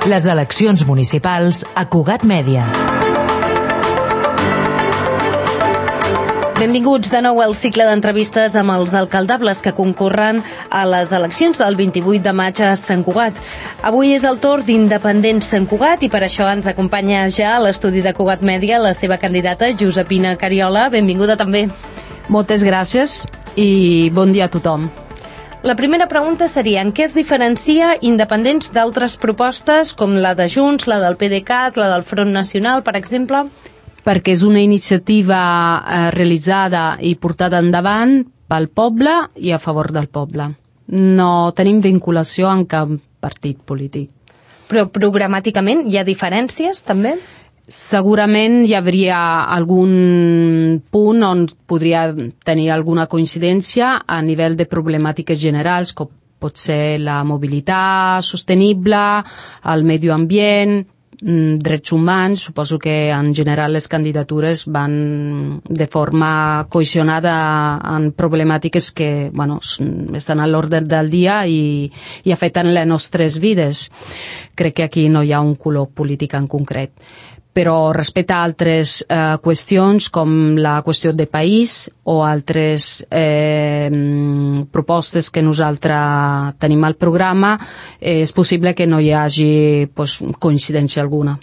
Les eleccions municipals a Cugat Mèdia. Benvinguts de nou al cicle d'entrevistes amb els alcaldables que concorren a les eleccions del 28 de maig a Sant Cugat. Avui és el torn d'Independents Sant Cugat i per això ens acompanya ja a l'estudi de Cugat Mèdia la seva candidata Josepina Cariola. Benvinguda també. Moltes gràcies i bon dia a tothom. La primera pregunta seria en què es diferencia Independents d'altres propostes com la de Junts, la del PDeCAT, la del Front Nacional, per exemple? Perquè és una iniciativa realitzada i portada endavant pel poble i a favor del poble. No tenim vinculació amb cap partit polític. Però programàticament hi ha diferències, també? Segurament hi hauria algun punt on podria tenir alguna coincidència a nivell de problemàtiques generals, com pot ser la mobilitat sostenible, el medi ambient, drets humans. Suposo que en general les candidatures van de forma cohesionada en problemàtiques que estan a l'ordre del dia i afecten les nostres vides. Crec que aquí no hi ha un color polític en concret. Però respecte a altres qüestions com la qüestió de país o altres propostes que nosaltres tenim al programa, és possible que no hi hagi coincidència alguna.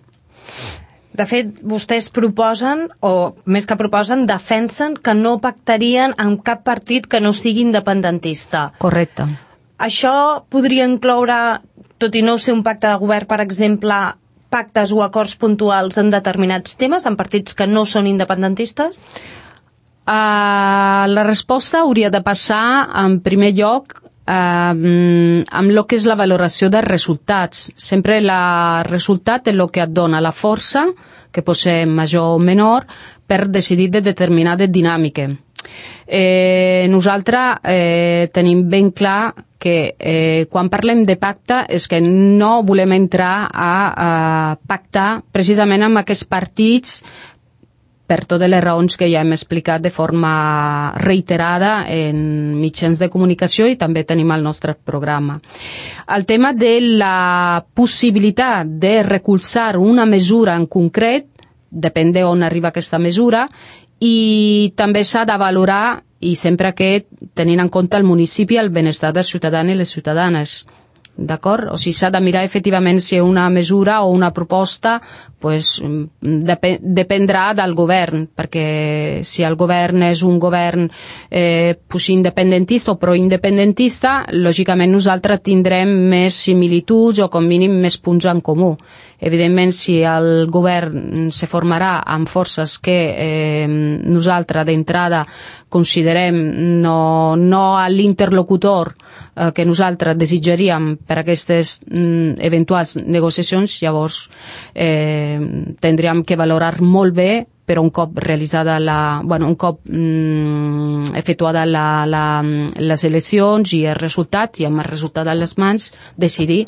De fet, vostès proposen, o més que proposen, defensen que no pactarien amb cap partit que no sigui independentista. Correcte. Això podria incloure, tot i no ser un pacte de govern, per exemple, pactes o acords puntuals en determinats temes, en partits que no són independentistes? La resposta hauria de passar, en primer lloc, amb el que és la valoració dels resultats. Sempre el resultat és el que et dona la força, que pot ser major o menor, per decidir de determinades dinàmiques. Nosaltres tenim ben clar que quan parlem de pacte és que no volem entrar a pactar precisament amb aquests partits per totes les raons que ja hem explicat de forma reiterada en mitjans de comunicació i també tenim el nostre programa. El tema de la possibilitat de recolzar una mesura en concret depèn d'on arriba aquesta mesura i també s'ha de valorar, i sempre que tenint en compte el municipi, el benestar dels ciutadans i les ciutadanes. D'acord? O sigui, s'ha de mirar efectivament si una mesura o una proposta dependrà del govern, perquè si el govern és un govern independentista o proindependentista, lògicament nosaltres tindrem més similituds o com mínim més punts en comú. Evidentment, si el govern se formarà amb forces que nosaltres d'entrada considerem no a l'interlocutor que nosaltres desitjaríem per a aquestes eventuals negociacions, llavors tindríem que valorar molt bé, però un cop realitzada efectuada les eleccions i el resultat, i amb el resultat a les mans, decidir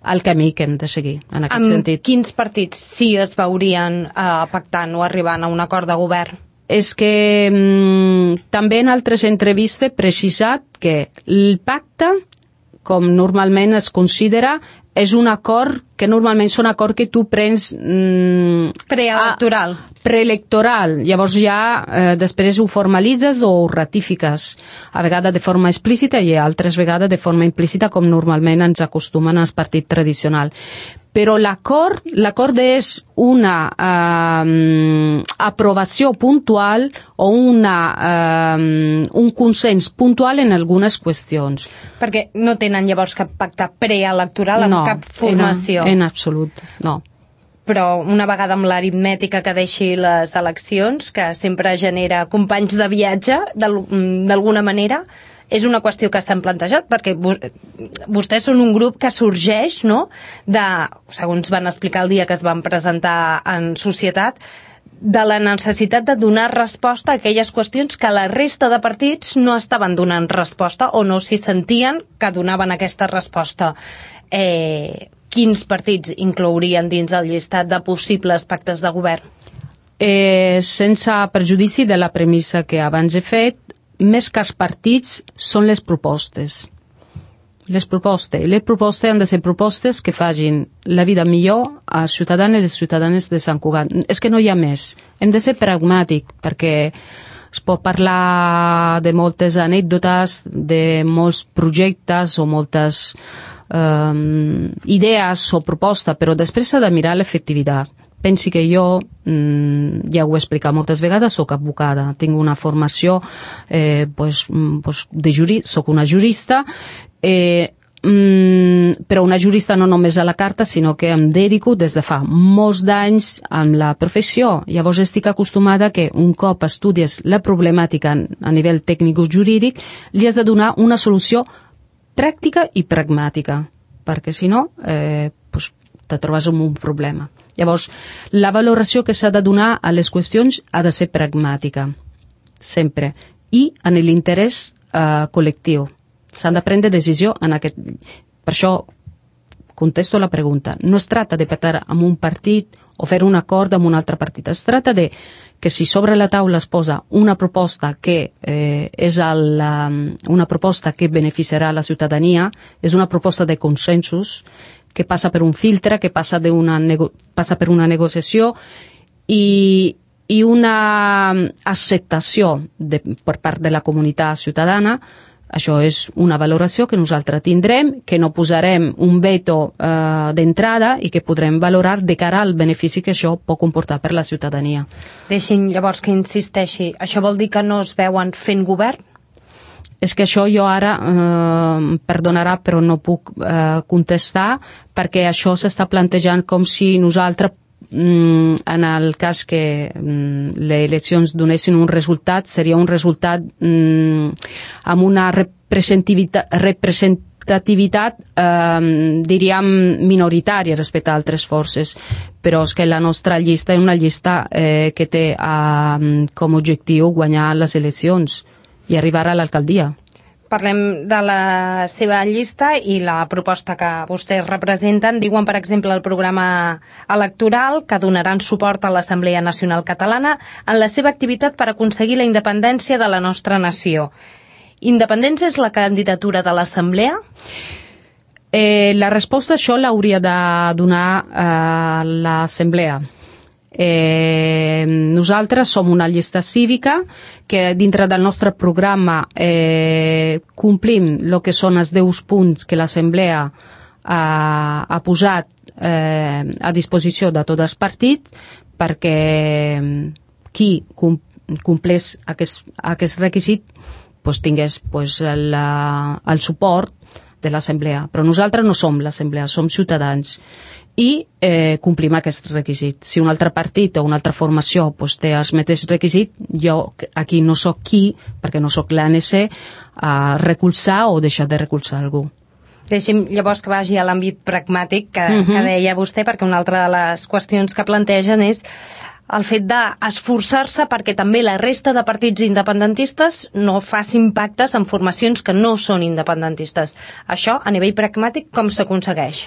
el camí que hem de seguir en aquest sentit. Amb quins partits sí es veurien pactant o arribant a un acord de govern? És que també en altres entrevistes he precisat que el pacte, com normalment es considera, és un acord que normalment són acord que tu prens preelectoral. Llavors ja després ho formalitzes o ho ratifiques, a vegades de forma explícita i altres vegades de forma implícita, com normalment ens acostumen als partits tradicionals. Però l'acord és una aprovació puntual o un consens puntual en algunes qüestions. Perquè no tenen llavors cap pacte preelectoral amb cap formació? En absolut, no. Però una vegada amb l'aritmètica que deixi les eleccions, que sempre genera companys de viatge, d'alguna manera, és una qüestió que estan plantejat, perquè vostès són un grup que sorgeix, no?, segons van explicar el dia que es van presentar en societat, de la necessitat de donar resposta a aquelles qüestions que la resta de partits no estaven donant resposta o no s'hi sentien que donaven aquesta resposta. Quins partits inclourien dins el llistat de possibles pactes de govern? Sense perjudici de la premissa que abans he fet, més que els partits són les propostes. Les propostes han de ser propostes que facin la vida millor als ciutadans i les ciutadanes de Sant Cugat. És que no hi ha més. Hem de ser pragmàtics, perquè es pot parlar de moltes anècdotes, de molts projectes o moltes idees o propostes, però després s'ha de mirar l'efectivitat. Pensi que jo, ja ho he explicat moltes vegades, soc advocada, tinc una formació, soc una jurista, però una jurista no només a la carta, sinó que em dedico des de fa molts d'anys amb la professió. Llavors estic acostumada que un cop estudies la problemàtica a nivell tècnico-jurídic, li has de donar una solució pràctica i pragmàtica, perquè si no, te trobes amb un problema. Llavors, la valoració que s'ha de donar a les qüestions ha de ser pragmàtica, sempre, i en l'interès col·lectiu. S'han de prendre decisió en aquest... Per això contesto la pregunta. No es tracta de pactar amb un partit o fer un acord amb un altre partit. Es tracta de que si sobre la taula es posa una proposta que és una proposta que beneficiarà la ciutadania, és una proposta de consensos, que passa per un filtre, que passa per una negociació i una acceptació per part de la comunitat ciutadana. Això és una valoració que nosaltres tindrem, que no posarem un veto d'entrada i que podrem valorar de cara al benefici que això pot comportar per la ciutadania. Deixin llavors que insisteixi. Això vol dir que no es veuen fent govern? És que això jo ara, perdonarà, però no puc contestar, perquè això s'està plantejant com si nosaltres, en el cas que les eleccions donessin un resultat, seria un resultat amb una representativitat, diríem, minoritària respecte a altres forces. Però és que la nostra llista és una llista que té com a objectiu guanyar les eleccions i arribar a l'alcaldia. Parlem de la seva llista i la proposta que vostès representen. Diuen, per exemple, el programa electoral que donaran suport a l'Assemblea Nacional Catalana en la seva activitat per aconseguir la independència de la nostra nació. Independència és la candidatura de l'Assemblea? La resposta a això l'hauria de donar l'Assemblea. Nosaltres som una llista cívica que dintre del nostre programa complim el que són els 10 punts que l'Assemblea ha posat a disposició de tots els partits perquè qui compleix aquest requisit tingués el suport de l'Assemblea. Però nosaltres no som l'Assemblea, som ciutadans i complim aquest requisit. Si un altre partit o una altra formació té els mateixos requisits, jo aquí no sóc qui, perquè no sóc l'ANC, a recolzar o deixar de recolzar algú. Deixi'm llavors que vagi a l'àmbit pragmàtic que deia vostè, perquè una altra de les qüestions que plantegen és el fet d'esforçar-se perquè també la resta de partits independentistes no facin pactes amb formacions que no són independentistes. Això, a nivell pragmàtic, com s'aconsegueix?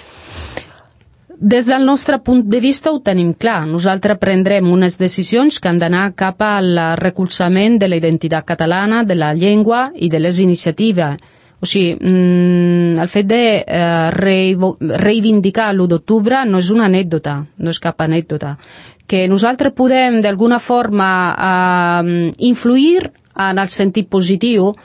Des del nostre punt de vista ho tenim clar. Nosaltres prendrem unes decisions que han d'anar cap al recolzament de la identitat catalana, de la llengua i de les iniciatives. O sigui, el fet de reivindicar l'1 d'octubre no és una anècdota, no és cap anècdota. Que nosaltres podem d'alguna forma influir en el sentit positiu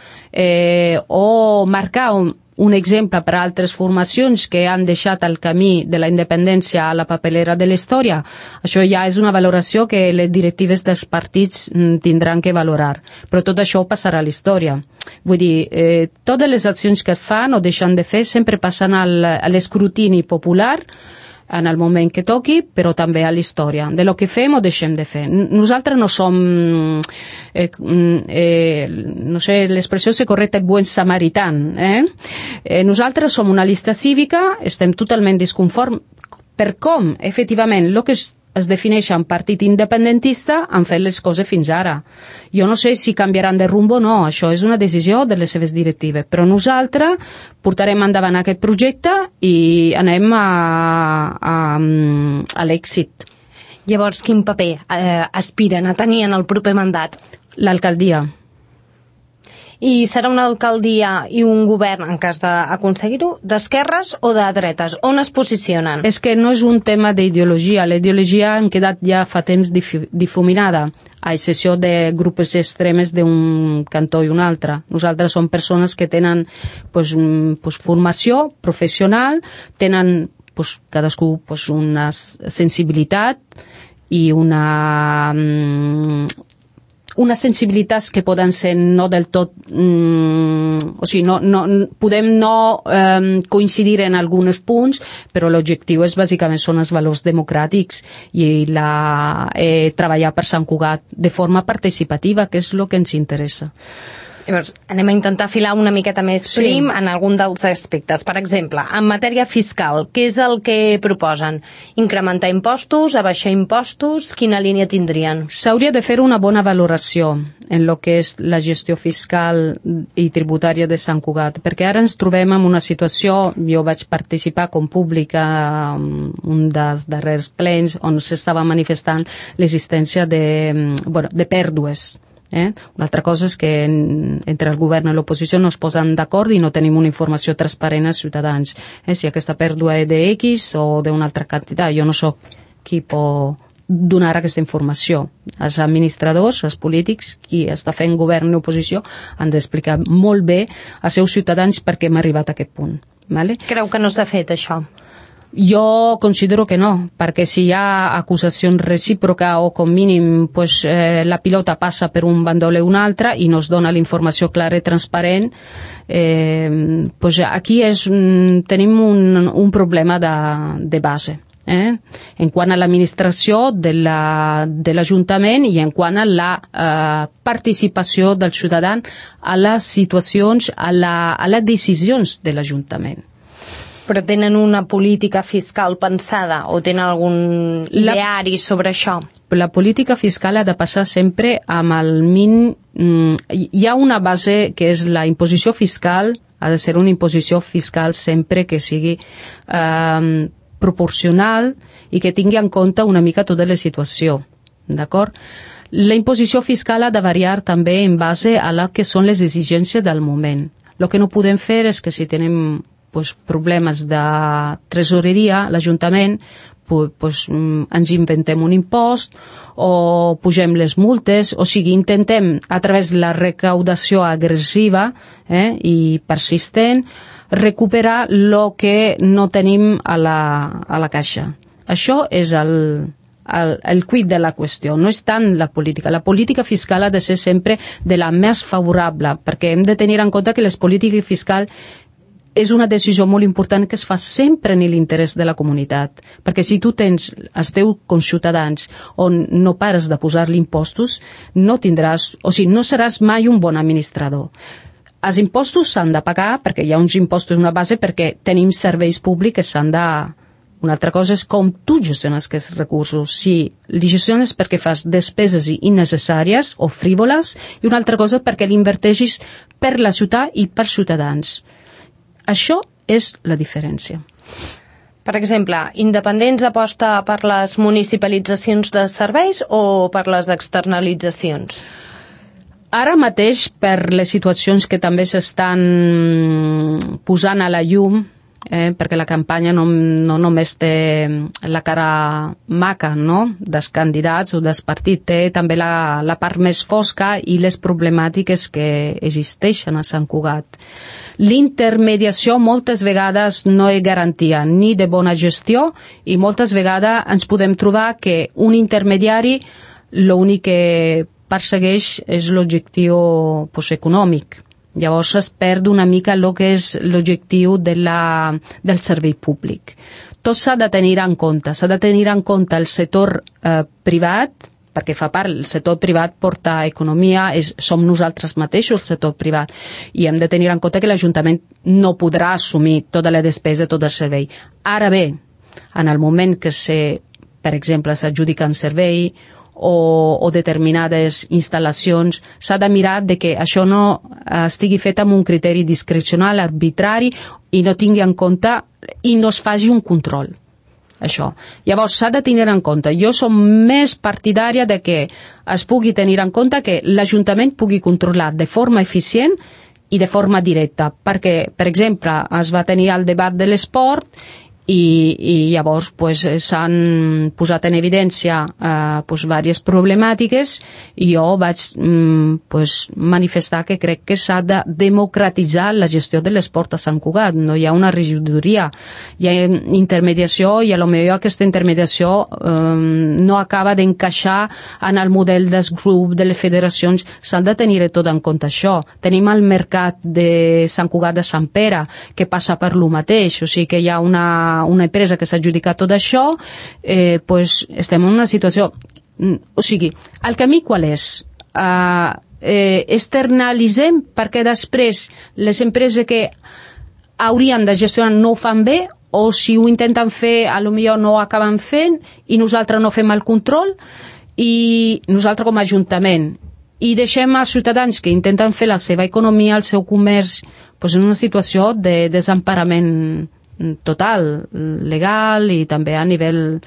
o marcar un exemple per a altres formacions que han deixat el camí de la independència a la papelera de la història. Això ja és una valoració que les directives dels partits tindran que valorar. Però tot això passarà a la història. Vull dir, totes les accions que es fan o deixen de fer sempre passen a l'escrutini popular en el moment que toqui, però també a la història, de lo que fem o deixem de fer. Nosaltres no som, no sé, l'expressió és correcta, buen samaritán. Nosaltres som una llista cívica, estem totalment disconformes per com, efectivament, el que es defineix en partit independentista han fet les coses fins ara. Jo no sé si canviaran de rumbo o no, això és una decisió de les seves directives, però nosaltres portarem endavant aquest projecte i anem a l'èxit. Llavors, quin paper aspiren a tenir en el proper mandat? L'alcaldia. I serà una alcaldia i un govern, en cas d'aconseguir-ho, d'esquerres o de dretes? On es posicionen? És que no és un tema d'ideologia. La ideologia ha quedat ja fa temps difuminada, a excepció de grups extremes d'un cantó i un altre. Nosaltres som persones que tenen formació professional, tenen cadascú una sensibilitat i unes sensibilitats que poden ser no del tot... podem no coincidir en alguns punts, però l'objectiu bàsicament són els valors democràtics i treballar per Sant Cugat de forma participativa, que és el que ens interessa. Llavors, anem a intentar filar una miqueta més prim en algun dels aspectes. Per exemple, en matèria fiscal, què és el que proposen? Incrementar impostos, abaixar impostos? Quina línia tindrien? S'hauria de fer una bona valoració en el que és la gestió fiscal i tributària de Sant Cugat, perquè ara ens trobem en una situació, jo vaig participar com públic en un dels darrers plens on s'estava manifestant l'existència de pèrdues. Una altra cosa és que entre el govern i l'oposició no es posen d'acord i no tenim una informació transparent als ciutadans. Si aquesta pèrdua és de X o d'una altra quantitat, jo no sóc qui pot donar aquesta informació. Els administradors, els polítics, qui està fent govern i oposició, han d'explicar molt bé als seus ciutadans per què hem arribat a aquest punt. Vale? Creu que no s'ha fet això? Jo considero que no, perquè si hi ha acusacions recíproca o com mínim la pilota passa per un bandol i un altre i no es dona la informació clara i transparent, aquí tenim un problema de base. En quant a l'administració de l'Ajuntament i en quant a la participació del ciutadà a les situacions, a les decisions de l'Ajuntament. Però tenen una política fiscal pensada o tenen algun ideari sobre això? La política fiscal ha de passar sempre amb el mínim... Hi ha una base que és la imposició fiscal, ha de ser una imposició fiscal sempre que sigui proporcional i que tingui en compte una mica tota la situació, d'acord? La imposició fiscal ha de variar també en base a la que són les exigències del moment. El que no podem fer és que si tenim problemes de tresoreria, l'Ajuntament, ens inventem un impost o pugem les multes, o sigui, intentem a través de la recaudació agressiva i persistent recuperar el que no tenim a la caixa. Això és el quid de la qüestió, no és tant la política. La política fiscal ha de ser sempre de la més favorable, perquè hem de tenir en compte que les polítiques fiscals és una decisió molt important que es fa sempre en l'interès de la comunitat, perquè si tu tens els teus conciutadans on no pares de posar-li impostos, no tindràs, o sigui, no seràs mai un bon administrador. Els impostos s'han de pagar perquè hi ha uns impostos, una base, perquè tenim serveis públics que s'han de... Una altra cosa és com tu gestiones aquests recursos. Si li gestiones perquè fas despeses innecessàries o frívoles, i una altra cosa perquè l'inverteixis per la ciutat i per ciutadans. Això és la diferència. Per exemple, Independents aposta per les municipalitzacions de serveis o per les externalitzacions? Ara mateix, per les situacions que també s'estan posant a la llum, perquè la campanya no només té la cara maca, no?, dels candidats o dels partits, té també la part més fosca i les problemàtiques que existeixen a Sant Cugat. L'intermediació moltes vegades no és garantia ni de bona gestió i moltes vegades ens podem trobar que un intermediari l'únic que persegueix és l'objectiu econòmic. Llavors es perd una mica el que és l'objectiu del servei públic. Tot s'ha de tenir en compte. S'ha de tenir en compte el sector privat, perquè fa part, el sector privat porta economia, som nosaltres mateixos el sector privat, i hem de tenir en compte que l'Ajuntament no podrà assumir tota la despesa, tot el servei. Ara bé, en el moment que per exemple, s'adjudica un servei o determinades instal·lacions, s'ha de mirar de que això no estigui fet amb un criteri discrecional, arbitrari, i no tingui en compte i no es faci un control. això. Llavors s'ha de tenir en compte. Jo som més partidària de que es pugui tenir en compte que l'Ajuntament pugui controlar de forma eficient i de forma directa, perquè, per exemple, es va tenir el debat de l'esport i llavors s'han posat en evidència diverses problemàtiques i jo vaig manifestar que crec que s'ha de democratitzar la gestió de l'esport a Sant Cugat. No hi ha una regidoria, hi ha intermediació i potser aquesta intermediació no acaba d'encaixar en el model dels grups, de les federacions. S'han de tenir tot en compte això. Tenim el mercat de Sant Cugat de Sant Pere que passa per lo mateix, o sigui que hi ha una empresa que s'ha adjudicat tot això, estem en una situació... O sigui, el camí qual és? Externalitzem perquè després les empreses que haurien de gestionar no ho fan bé, o si ho intenten fer, potser no ho acaben fent, i nosaltres no fem el control, i nosaltres com a Ajuntament, i deixem als ciutadans que intenten fer la seva economia, el seu comerç, en una situació de desemparament total, legal i també a nivell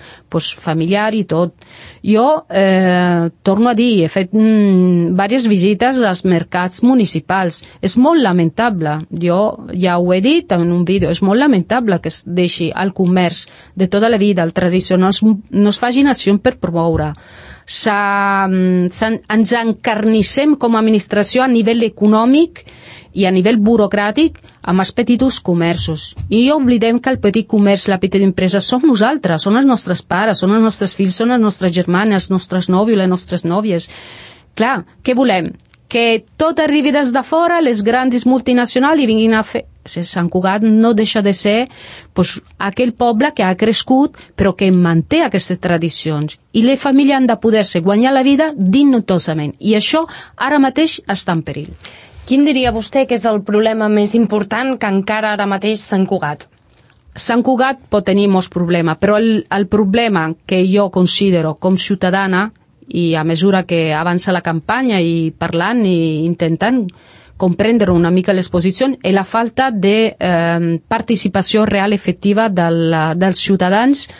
familiar i tot. Jo torno a dir, he fet diverses visites als mercats municipals. És molt lamentable, jo ja ho he dit en un vídeo, és molt lamentable que es deixi el comerç de tota la vida, el tradicional, no es facin accions per promoure. Ens encarnissem com a administració a nivell econòmic i a nivell burocràtic amb els petits comerços. I oblidem que el petit comerç, la petita empresa, som nosaltres, són els nostres pares, són els nostres fills, són les nostres germanes, els nostres nòvios, les nostres nòvies. Clar, què volem? Que tot arribi des de fora, les grans multinacionals, i vinguin a fer... Sant Cugat no deixa de ser aquell poble que ha crescut però que manté aquestes tradicions, i les famílies han de poder-se guanyar la vida dignitosament, i això ara mateix està en perill. Quin diria vostè que és el problema més important que encara ara mateix Sant Cugat? Sant Cugat pot tenir molts problemes, però el problema que jo considero com ciutadana, i a mesura que avança la campanya i parlant i intentant comprendre una mica les posicions, és la falta de participació real efectiva dels ciutadans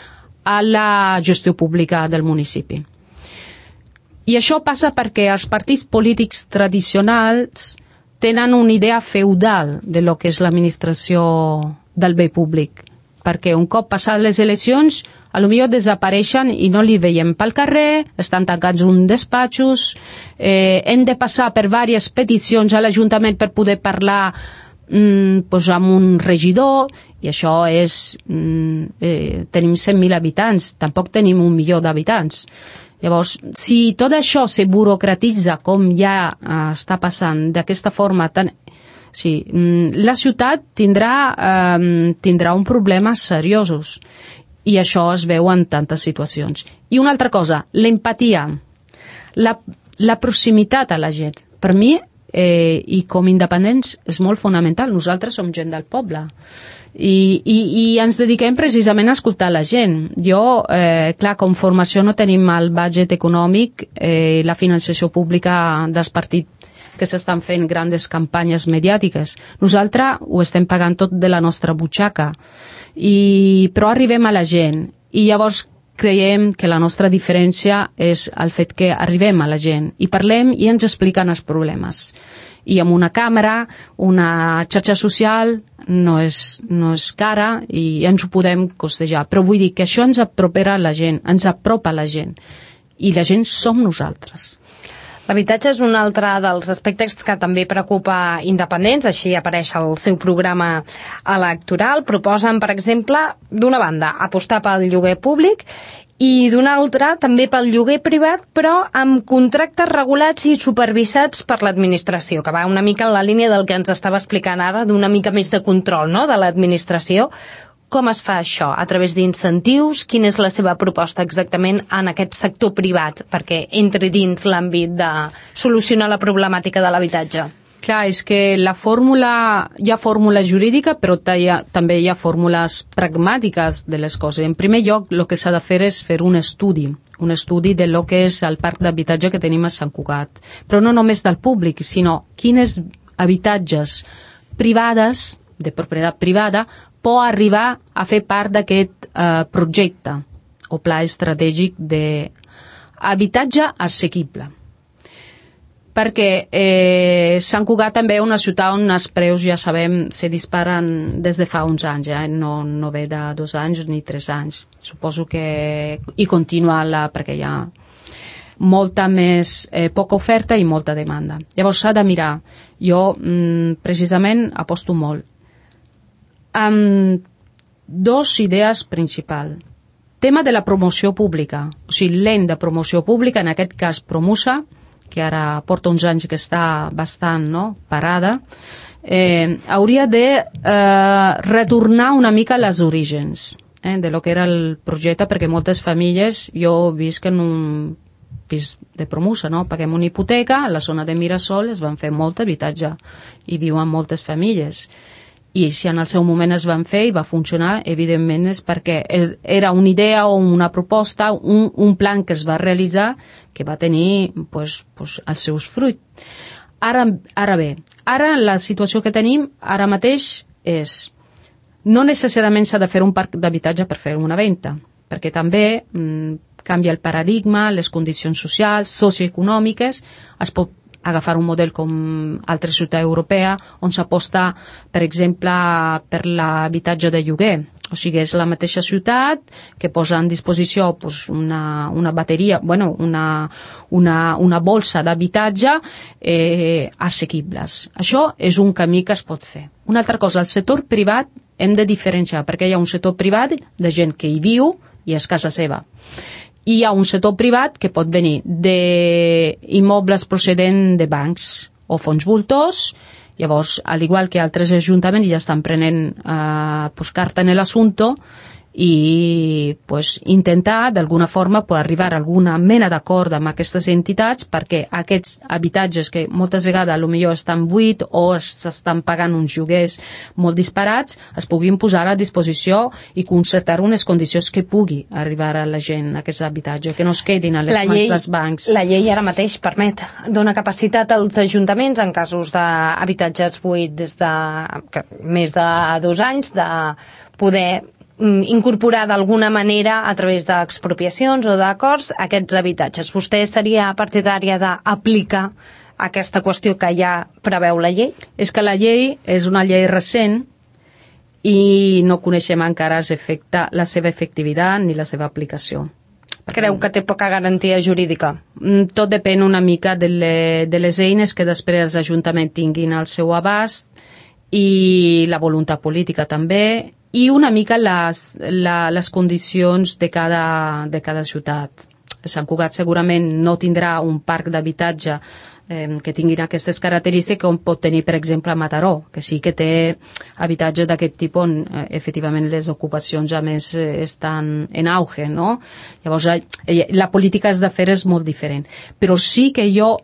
a la gestió pública del municipi. I això passa perquè els partits polítics tradicionals tenen una idea feudal de lo que és l'administració del bé públic, perquè un cop passades les eleccions potser desapareixen i no li veiem pel carrer, estan tancats uns despatxos, hem de passar per diverses peticions a l'Ajuntament per poder parlar amb un regidor, i això és... tenim 100.000 habitants, tampoc tenim 1 milió d'habitants. Llavors, si tot això se burocratitza com ja està passant d'aquesta forma tan... Sí, la ciutat tindrà un problema seriosos, i això es veu en tantes situacions. I una altra cosa, l'empatia, la proximitat a la gent. Per mi, i com independents, és molt fonamental. Nosaltres som gent del poble i ens dediquem precisament a escoltar la gent. Jo, clar, com formació no tenim el budget econòmic, la financiació pública dels partits que s'estan fent grandes campanyes mediàtiques. Nosaltres ho estem pagant tot de la nostra butxaca, però arribem a la gent, i llavors creiem que la nostra diferència és el fet que arribem a la gent i parlem i ens expliquen els problemes. I amb una càmera, una xarxa social, no és cara i ens ho podem costejar. Però vull dir que això ens apropera a la gent, ens apropa a la gent, i la gent som nosaltres. L'habitatge és un altre dels aspectes que també preocupa independents, així apareix al seu programa electoral. Proposen, per exemple, d'una banda, apostar pel lloguer públic i d'una altra també pel lloguer privat, però amb contractes regulats i supervisats per l'administració, que va una mica en la línia del que ens estava explicant ara, d'una mica més de control, no?, de l'administració. Com es fa això? A través d'incentius? Quina és la seva proposta exactament en aquest sector privat perquè entri dins l'àmbit de solucionar la problemàtica de l'habitatge? Clar, és que hi ha fórmula jurídica, però també hi ha fórmules pragmàtiques de les coses. En primer lloc, el que s'ha de fer és fer un estudi de lo que és el parc d'habitatge que tenim a Sant Cugat. Però no només del públic, sinó quines habitatges privades, de propietat privada, pot arribar a fer part d'aquest projecte o pla estratègic d'habitatge assequible. Perquè Sant Cugat també és una ciutat on els preus, ja sabem, se disparen des de fa uns anys, no ve de 2 anys ni 3 anys. Suposo que hi continua perquè hi ha molta més poca oferta i molta demanda. Llavors s'ha de mirar. Jo precisament aposto molt amb 2 idees principals. Tema de la promoció pública, o sigui, l'ent de promoció pública, en aquest cas Promusa, que ara porta uns anys que està bastant parada, hauria de retornar una mica a les orígens de lo que era el projecte, perquè moltes famílies, jo visc en un pis de Promusa, paguem una hipoteca, a la zona de Mirasol es van fer molt habitatge i viuen moltes famílies. I si en el seu moment es van fer i va funcionar, evidentment és perquè era una idea o una proposta, un plan que es va realitzar que va tenir els seus fruits. Ara bé, la situació que tenim ara mateix és no necessàriament s'ha de fer un parc d'habitatge per fer una venda, perquè també canvia el paradigma, les condicions socials, socioeconòmiques, es pot agafar un model com altra ciutat europea on s'aposta, per exemple, per l'habitatge de lloguer. O sigui, és la mateixa ciutat que posa en disposició una bateria, una bolsa d'habitatge assequibles. Això és un camí que es pot fer. Una altra cosa, el sector privat hem de diferenciar, perquè hi ha un sector privat de gent que hi viu i és casa seva. I hi ha un sector privat que pot venir d'immobles procedent de bancs o fons voltors. Llavors, al igual que altres ajuntaments ja estan prenent carta en l'assumpte i intentar d'alguna forma arribar a alguna mena d'acord amb aquestes entitats perquè aquests habitatges que moltes vegades potser estan buits o s'estan pagant uns lloguers molt disparats es puguin posar a disposició i concertar unes condicions que pugui arribar a la gent aquests habitatges, que no es quedin a les mans dels bancs. La llei ara mateix dona capacitat als ajuntaments en casos d'habitatges buits des de més de 2 anys de poder incorporar d'alguna manera a través d'expropiacions o d'acords aquests habitatges. Vostè seria partidària d'aplicar aquesta qüestió que ja preveu la llei? És que la llei és una llei recent i no coneixem encara la seva efectivitat ni la seva aplicació. Creu que té poca garantia jurídica? Tot depèn una mica de les eines que després els ajuntaments tinguin al seu abast i la voluntat política també, i una mica les condicions de cada ciutat. Sant Cugat segurament no tindrà un parc d'habitatge que tinguin aquestes característiques com pot tenir, per exemple, Mataró, que sí que té habitatge d'aquest tipus on efectivament les ocupacions a més estan en auge, no? Llavors, la política de fer és molt diferent. Però sí que jo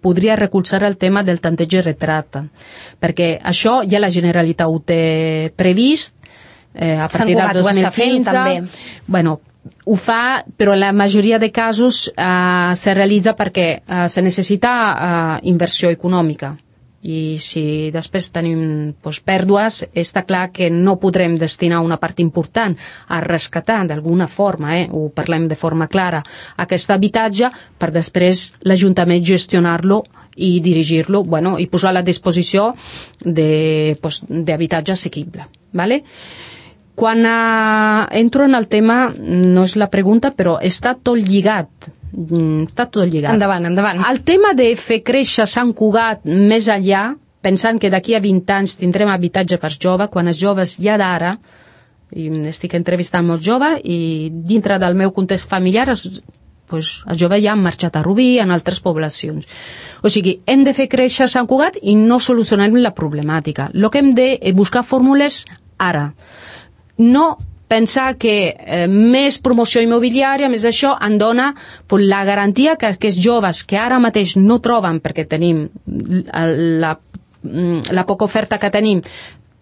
podria recolzar el tema del tanteig i retracte, perquè això ja la Generalitat ho té previst a partir del 2015. Bueno, ho fa, però la majoria de casos se realitza perquè se necessita inversió econòmica i si després tenim pèrdues està clar que no podrem destinar una part important a rescatar d'alguna forma, ho parlem de forma clara, aquest habitatge per després l'Ajuntament gestionar-lo i dirigir-lo i posar a la disposició d'habitatge assequible. Vale? Quan entro en el tema, no és la pregunta, però està tot lligat. Endavant. El tema de fer créixer Sant Cugat més enllà, pensant que d'aquí a 20 anys tindrem habitatge per joves, quan els joves ja d'ara, i estic entrevistant molts joves, i dintre del meu context familiar, els joves ja han marxat a Rubí, en altres poblacions. O sigui, hem de fer créixer Sant Cugat i no solucionem la problemàtica. El que hem de buscar fórmules ara. No pensar que més promoció immobiliària, més això, en dona la garantia que aquests joves que ara mateix no troben, perquè tenim la poca oferta que tenim,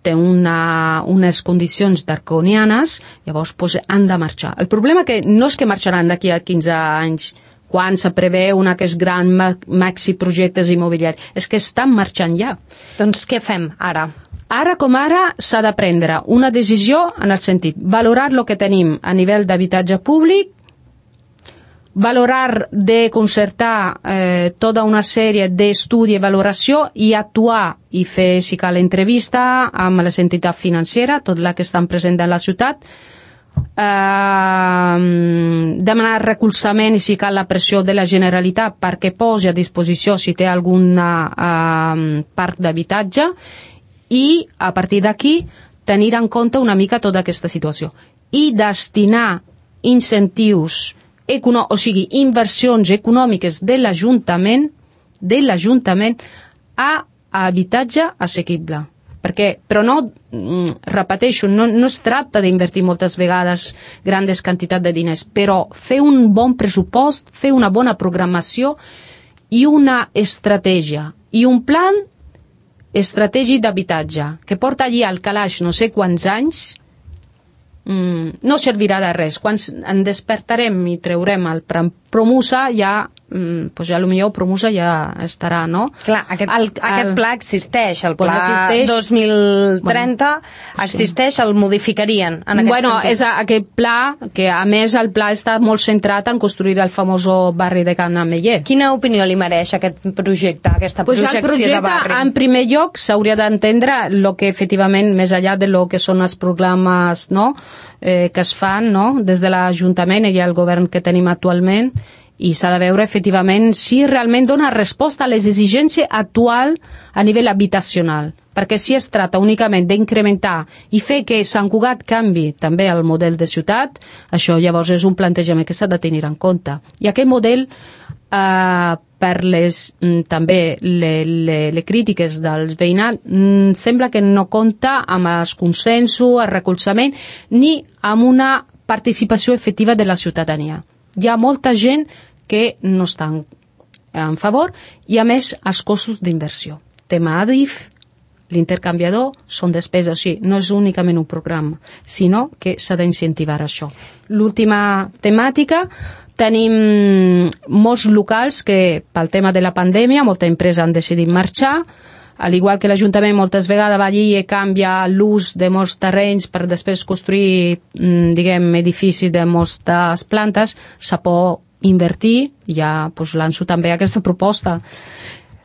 té unes condicions draconianes, llavors han de marxar. El problema que no és que marxaran d'aquí a 15 anys quan se preveu aquests grans maxi projectes immobiliaris. És que estan marxant ja. Doncs què fem ara? Ara com ara s'ha de prendre una decisió en el sentit valorar el que tenim a nivell d'habitatge públic, valorar de concertar tota una sèrie d'estudi i valoració i actuar i fer, si cal, entrevista amb les entitats financeres, tot la que estan presents en la ciutat, demanar recolzament i, si cal, la pressió de la Generalitat perquè posi a disposició si té algun parc d'habitatge i, a partir d'aquí, tenir en compte una mica tota aquesta situació i destinar incentius o sigui, inversions econòmiques de l'Ajuntament a habitatge assequible. Però no, repeteixo, no es tracta d'invertir moltes vegades grandes quantitats de diners, però fer un bon pressupost, fer una bona programació i una estratègia i un plan estratègic d'habitatge que porta allí al calaix no sé quants anys, no servirà de res. Quan en despertarem i treurem el Promusa, ja potser Promusa ja estarà, no? Clar, aquest pla existeix, el pla 2030 existeix, el modificarien en aquest sentit. És aquest pla, que a més el pla està molt centrat en construir el famós barri de Can Ameller. Quina opinió li mereix aquest projecte, aquesta projecció de barri? En primer lloc, s'hauria d'entendre el que efectivament, més enllà de lo que són els programes, no?, que es fan, no?, des de l'Ajuntament i el govern que tenim actualment, i s'ha de veure efectivament si realment dona resposta a les exigències actuals a nivell habitacional, perquè si es tracta únicament d'incrementar i fer que Sant Cugat canvi també el model de ciutat, això llavors és un plantejament que s'ha de tenir en compte. I aquest model, per també les crítiques del veïnat, sembla que no compta amb els consensos, el recolzament, ni amb una participació efectiva de la ciutadania. Hi ha molta gent que no estan en favor i, a més, els costos d'inversió. Tema ADIF, l'intercanviador, són despeses. O sigui, no és únicament un programa, sinó que s'ha d'incentivar això. L'última temàtica, tenim molts locals que, pel tema de la pandèmia, molta empresa han decidit marxar, al igual que l'Ajuntament moltes vegades va allí i canvia l'ús de molts terrenys per després construir, edificis de moltes plantes, se pot invertir, ja lanço també aquesta proposta.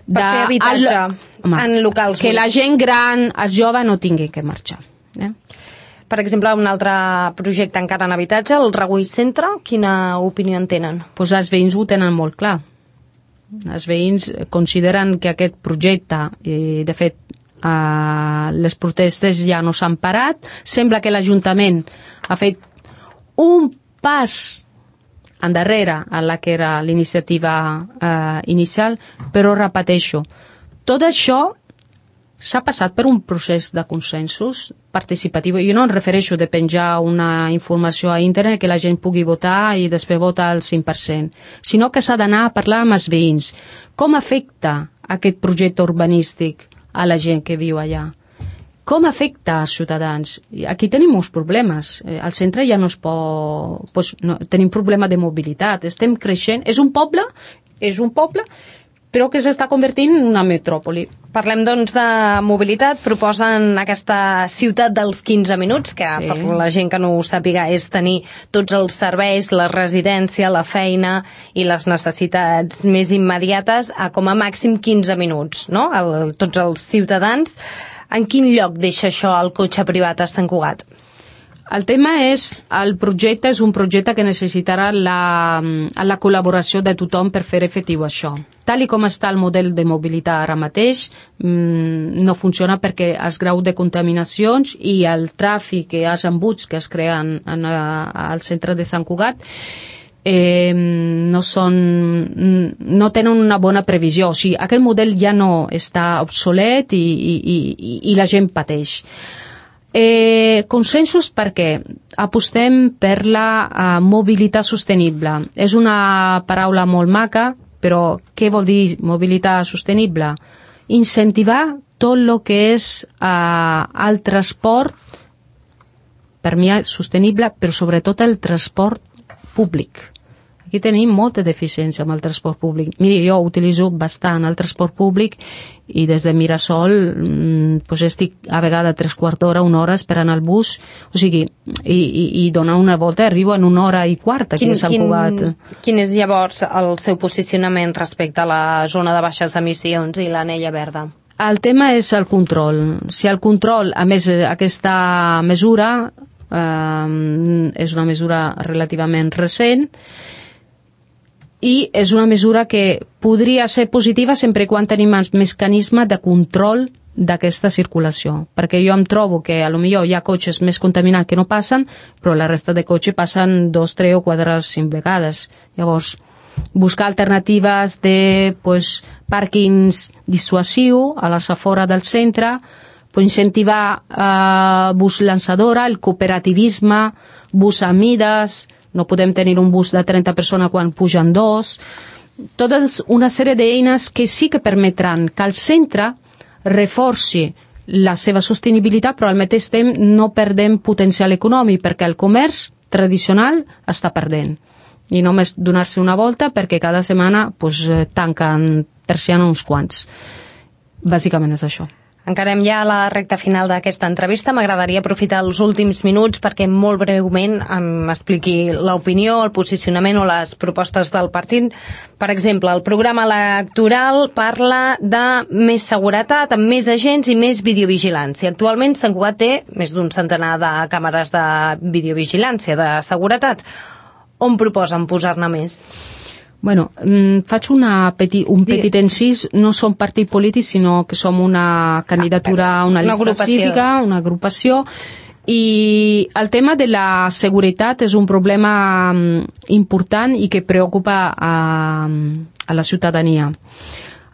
Per fer habitatge en locals. Que la gent gran, els joves, no tinguin que marxar. Per exemple, un altre projecte encara en habitatge, el Regull Centre, quina opinió en tenen? Els veïns ho tenen molt clar. Els veïns consideren que aquest projecte, de fet, les protestes ja no s'han parat, sembla que l'Ajuntament ha fet un pas endarrere a la que era l'iniciativa inicial, però repeteixo, tot això s'ha passat per un procés de consensos participatiu. Jo no em refereixo de penjar una informació a internet que la gent pugui votar i després votar el 5%, sinó que s'ha d'anar a parlar amb els veïns. Com afecta aquest projecte urbanístic a la gent que viu allà? Com afecta als ciutadans? Aquí tenim molts problemes. Al centre ja no es pot... tenim problema de mobilitat. Estem creixent. És un poble, però que s'està convertint en una metròpoli. Parlem, doncs, de mobilitat. Proposen aquesta ciutat dels 15 minuts, que per la gent que no ho sàpiga és tenir tots els serveis, la residència, la feina i les necessitats més immediates a com a màxim 15 minuts, no? Tots els ciutadans. En quin lloc deixa això el cotxe privat a Sant Cugat? El tema és, el projecte és un projecte que necessitarà la col·laboració de tothom per fer efectiu això. Tal com està el model de mobilitat ara mateix, no funciona perquè els graus de contaminacions i el tràfic i els embuts que es creen al centre de Sant Cugat no tenen una bona previsió. O sigui, aquest model ja no està obsolet i la gent pateix. Consensos perquè apostem per la mobilitat sostenible. És una paraula molt maca, però què vol dir mobilitat sostenible? Incentivar tot el que és el transport, per mi és sostenible, però sobretot el transport públic. Aquí tenim molta deficiència amb el transport públic. Miri, jo utilitzo bastant el transport públic i des de Mirasol pues estic a vegades 3/4 d'hora, 1 hora esperant el bus, o sigui, i donar una volta arribo en 1 hora i quart aquí a Sant Cugat. Quin és llavors el seu posicionament respecte a la zona de baixes emissions i l'anella verda? El tema és el control. Si el control, a més aquesta mesura és una mesura relativament recent i és una mesura que podria ser positiva sempre i quan tenim el mecanisme de control d'aquesta circulació, perquè jo em trobo que a lo millor hi ha cotxes més contaminats que no passen, però la resta de cotxes passen 2, 3 o 4, 5 vegades. Llavors, buscar alternatives de pàrquings dissuasiu a les afores del centre, incentivar bus lançadora, el cooperativisme, bus a mides, no podem tenir un bus de 30 persones quan pugen 2, tota una sèrie d'eines que sí que permetran que el centre reforci la seva sostenibilitat, però al mateix temps no perdem potencial econòmic, perquè el comerç tradicional està perdent. I només donar-se una volta perquè cada setmana tanquen persiana uns quants. Bàsicament és això. Encarem ja a la recta final d'aquesta entrevista. M'agradaria aprofitar els últims minuts perquè molt breument m'expliqui l'opinió, el posicionament o les propostes del partit. Per exemple, el programa electoral parla de més seguretat, amb més agents i més videovigilància. Actualment Sant Cugat té més d'un centenar de càmeres de videovigilància, de seguretat. On proposen posar-ne més? Bueno, faig un petit incís. No som partit polític, sinó que som una candidatura, una llista cívica, una agrupació, i el tema de la seguretat és un problema important i que preocupa a la ciutadania.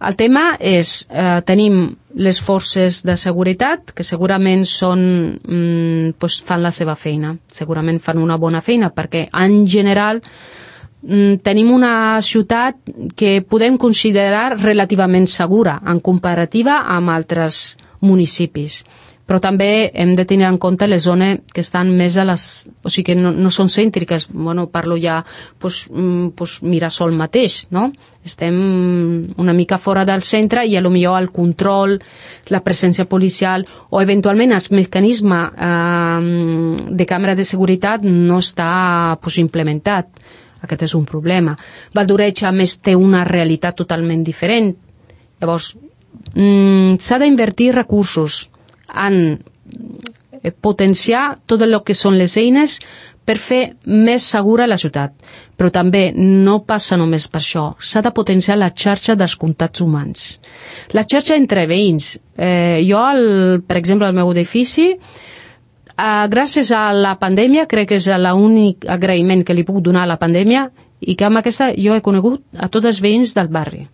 El tema és, tenim les forces de seguretat, que segurament fan la seva feina, segurament fan una bona feina, perquè en general tenim una ciutat que podem considerar relativament segura en comparativa amb altres municipis. Però també hem de tenir en compte les zones que estan més a les... O sigui, que no són cèntriques. Bueno, parlo ja Mirasol mateix, no? Estem una mica fora del centre i potser el control, la presència policial o eventualment el mecanisme de càmera de seguretat no està implementat. Aquest és un problema. Valdoreig, a més, té una realitat totalment diferent. Llavors, s'ha d'invertir recursos en potenciar tot el que són les eines per fer més segura la ciutat. Però també no passa només per això. S'ha de potenciar la xarxa dels contactes humans. La xarxa entre veïns. Jo, per exemple, al meu edifici, gràcies a la pandèmia, crec que és l'únic agraïment que li puc donar a la pandèmia, i que amb aquesta jo he conegut a tots els veïns del barri.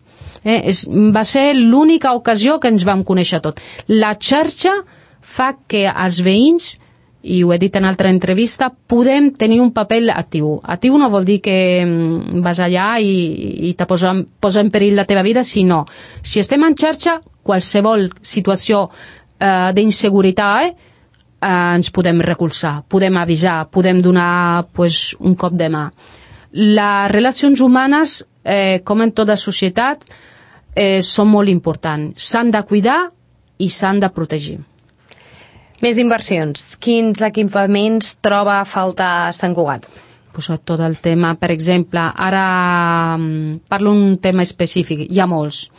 Va ser l'única ocasió que ens vam conèixer tot. La xarxa fa que els veïns, i ho he dit en altra entrevista, podem tenir un paper actiu. Actiu no vol dir que vas allà i te posa en perill la teva vida, sinó, si estem en xarxa, qualsevol situació d'inseguretat ens podem recolzar, podem avisar, podem donar un cop de mà. Les relacions humanes, com en tota societat, són molt importants. S'han de cuidar i s'han de protegir. Més inversions. Quins equipaments troba a faltar a Sant Cugat? Tot el tema, per exemple, ara parlo d'un tema específic, hi ha molts.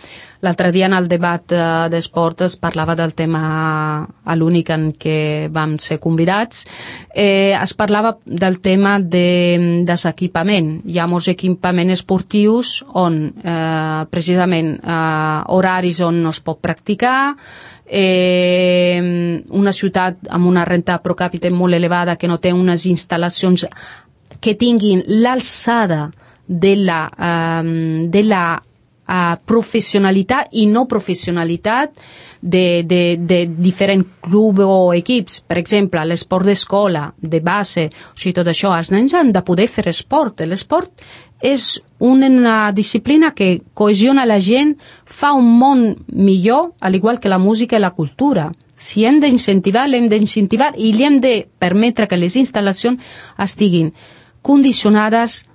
L'altre dia en el debat d'esport es parlava del tema a l'únic en què vam ser convidats. Es parlava del tema de desequipament. Hi ha molts equipaments esportius on precisament horaris on no es pot practicar, una ciutat amb una renta pro capita molt elevada que no té unes instal·lacions que tinguin l'alçada de la professionalitat i no professionalitat de diferents clubs o equips. Per exemple, l'esport d'escola, de base, o sigui, tot això, els nens han de poder fer esport. L'esport és una disciplina que cohesiona la gent, fa un món millor, al igual que la música i la cultura. Si hem d'incentivar, l'hem d'incentivar i li hem de permetre que les instal·lacions estiguin condicionades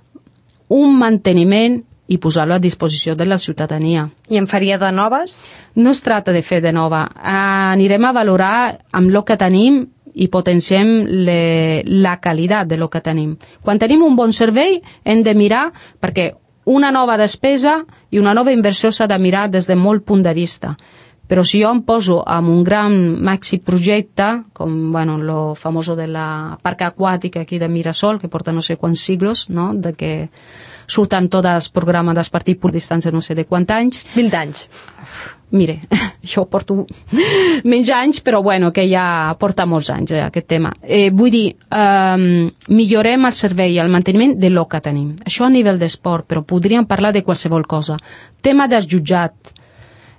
un manteniment i posar-lo a disposició de la ciutadania. I en faria de noves? No es tracta de fer de nova. Anirem a valorar amb el que tenim i potenciem la qualitat de lo que tenim. Quan tenim un bon servei hem de mirar, perquè una nova despesa i una nova inversió s'ha de mirar des de molt punt de vista. Però si jo em poso amb un gran maxi projecte, com lo famoso de la parca aquàtica aquí de Mirasol, que porta no sé quants siglos, no? De que surten tots els programes del partit per distància no sé de quants anys. 20 anys. Mire, jo porto menys anys, però que ja porta molts anys aquest tema. Vull dir, millorem el servei i el manteniment de lo que tenim. Això a nivell d'esport, però podríem parlar de qualsevol cosa. Tema del jutjat.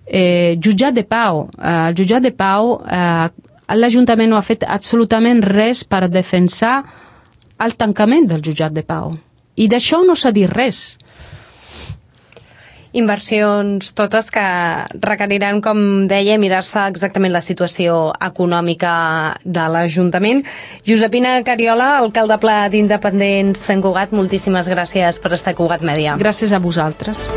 Jutjat de Pau. El jutjat de Pau, l'Ajuntament no ha fet absolutament res per defensar el tancament del jutjat de Pau. I d'això no s'ha dit res. Inversions totes que requeriran, com deia, mirar-se exactament la situació econòmica de l'Ajuntament. Josepina Cariola, alcalde pla d'Independents Sant Cugat, moltíssimes gràcies per estar a Cugat Mèdia. Gràcies a vosaltres.